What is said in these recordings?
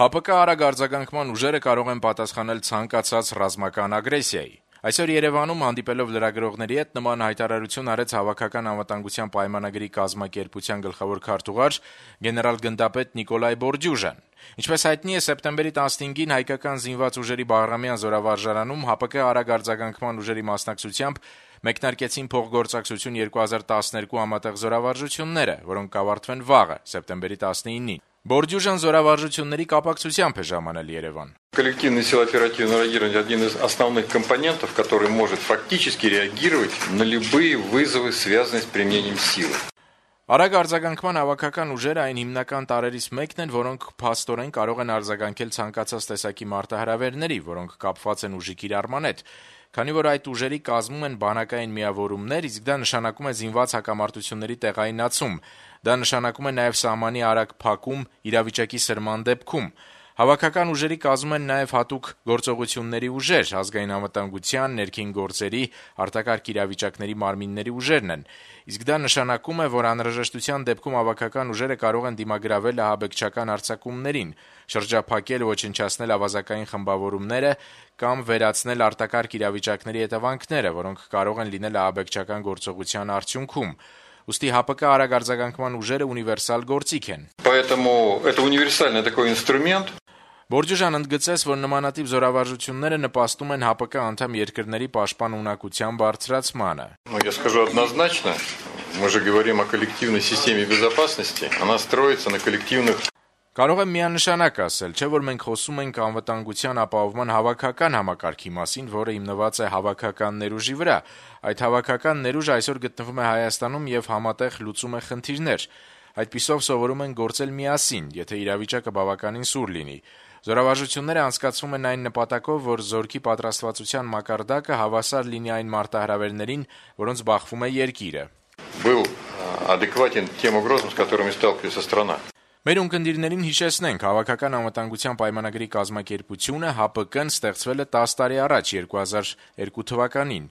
ՀԱՊԿ արագ արձագանքման ուժերը կարող են պատասխանել ցանկացած ռազմական ագրեսիայի։ Այսօր Երևանում հանդիպելով լրագրողների հետ նման հայտարարություն արեց Հավաքական անվտանգության պայմանագրի կազմակերպության գլխավոր քարտուղար գեներալ-գնդապետ Նիկոլայ Բորդյուժան։ Ինչպես հայտնի է, սեպտեմբերի 15-ին հայկական զինված ուժերի Բաղրամյան զորավարժարանում ՀԱՊԿ արագ արձագանքման ուժերի մասնակցությամբ մեկնարկեցին փոխգործակցություն 2012 համատեղ զորավարժությունները, որոնք կավարտվեն վաղը, սեպտեմբերի 19-ին։ Բորդյուժան զորավարժությունների կապակցությամբ է ժամանել Երևան։ Коллективные силы оперативного реагирования – один из основных компонентов, который может фактически реагировать на любые вызовы, связанные с применением силы. Արագ արձագանքման հավաքական ուժերը այն հիմնական տարրերից մեկն են, որոնք փաստորեն կարող են արձագանքել ցանկացած տեսակի մարտահրավերների, որոնք կապված են ուժի կիրառման հետ։ Քանի որ այդ ուժերի կազմում են բանակային միավորումներ, իսկ դա նշանակում է զինված հակամարտությունների տեղայնացում, դա նշանակում է նաև սահմանի արագ փակում իրավիճակի սրման դեպքում։ Հավաքական ուժերի կազմում են նաև հատուկ գործողությունների ուժեր, ազգային անվտանգության, ներքին գործերի, արտակարգ իրավիճակների մարմինների ուժերն են։ Իսկ դա նշանակում է, որ անհրաժեշտության դեպքում հավաքական ուժերը կարող են դիմագրավել ահաբեկչական հարձակումներին, շրջափակել ոչնչացնել ավազակային խմբավորումները կամ վերացնել արտակարգ իրավիճակների հետևանքները, որոնք կարող են լինել ահաբեկչական գործողության արդյունքում։ Ուստի ՀԱՊԿ արագ արձագանքման ուժերը ունիվերսալ գործիք են։ Поэтому это универсальный такой инструмент. Բորդյուժան ընդգծեց, որ նմանատիպ զորավարժությունները նպաստում են ՀԱՊԿ անդամ երկրների պաշտպան ունակության բարձրացմանը։ Я скажу однозначно, мы же говорим о коллективной системе безопасности, она строится на коллективных. Կարող եմ միանշանակ ասել, չէ՞ որ մենք խոսում ենք անվտանգության ապահովման հավաքական համակարգի մասին, որը հիմնված է հավաքական ներուժի վրա։ Այդ հավաքական ներուժը այսօր գտնվում է Հայաստանում եւ համատեղ լուծում է խնդիրներ։ Այդպիսով սովորում են գործել միասին, եթե իրավիճակը բավականին սուր լինի։ Զորավարժությունները անցկացվում են այն նպատակով, որ զորքի պատրաստվածության մակարդակը հավասար լինի այն մարտահրավերներին, որոնց բախվում է երկիրը։ Был адекватен тем угрозам, с которыми сталкивается страна. Մեր ունկնդիրներին հիշեցնենք, Հավաքական անվտանգության պայմանագրի կազմակերպությունը ՀԱՊԿ-ն ստեղծվել է 10 տարի առաջ 2002 թվականին,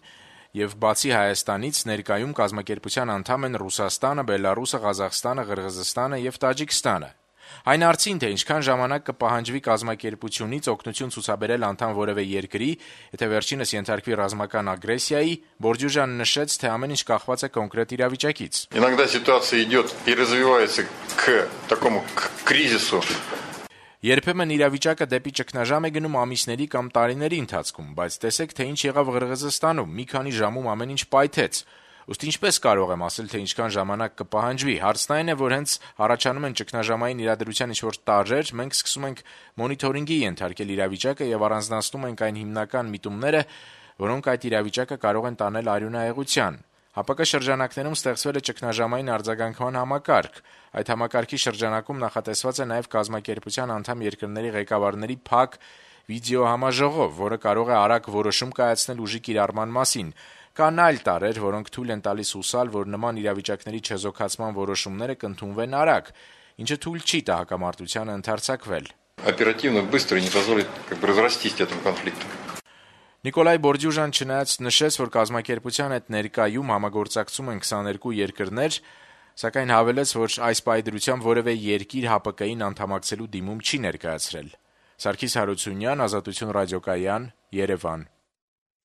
եւ բացի Հայաստանից ներկայում կազմակերպության անդամ են Ռուսաստանը, Բելարուսը, Ղազախստանը, Ղրղզստանը եւ Տաջիկստանը։ Այն արդին, թե ինչքան ժամանակ կպահանջվի կազմակերպությունից օգնություն ցուցաբերել անդամ որևէ երկրի, եթե վերջինս ենթարկվի ռազմական ագրեսիայի, Բորդյուժան նշեց, թե ամեն ինչ կախված է կոնկրետ իրավիճակից։ Иногда ситуация идет и развивается к такому кризису. Երբեմն իրավիճակը դեպի ճգնաժամ է գնում ամիսների կամ տարիների ընթացքում, բայց տեսեք, թե ինչ եղավ Ղրղզստանում, մի քանի ժամում ամեն ինչ պայթեց։ Ըստ ինչպես կարող եմ ասել, թե ինչքան ժամանակ կպահանջվի։ Հարցն այն է, որ հենց առաջանում են ճգնաժամային իրադրության ինչ-որ տարրեր, մենք սկսում ենք մոնիթորինգի ենթարկել իրավիճակը եւ առանձնացնում ենք այն հիմնական միտումները, որոնք այդ իրավիճակը կարող են տանել արյունահեղության։ ՀԱՊԿ շրջանակներում ստեղծվել է ճգնաժամային արձագանքման համակարգ։ Այդ համակարգի շրջանակում նախատեսված է նաև կազմակերպության անդամ երկրների ղեկավարների փակ վիդեոհամաժողով, որը կարող է արագ որոշում կայացնել ուժի կիրառման մասին։ Կան այլ տարրեր, որոնք թույլ են տալիս հուսալ, որ նման իրավիճակների չեզոքացման որոշումները կընդունվեն արագ, ինչը թույլ չի տա հակամարտությանը ընդարձակվել։ Оперативно, быстро не позволит разрастись этому конфликту. Նիկոլայ Բորդյուժան չնայած նշեց, որ կազմակերպության հետ ներկայում համագործակցում են 22 երկրներ, սակայն հավելեց, որ այս պայդրությամբ որևէ երկիր ՀԱՊԿ-ին անդամակցելու դիմում չի ներկայացրել։ Սարգիս Հարությունյան, Ազատություն ռադիոկայան, Երևան։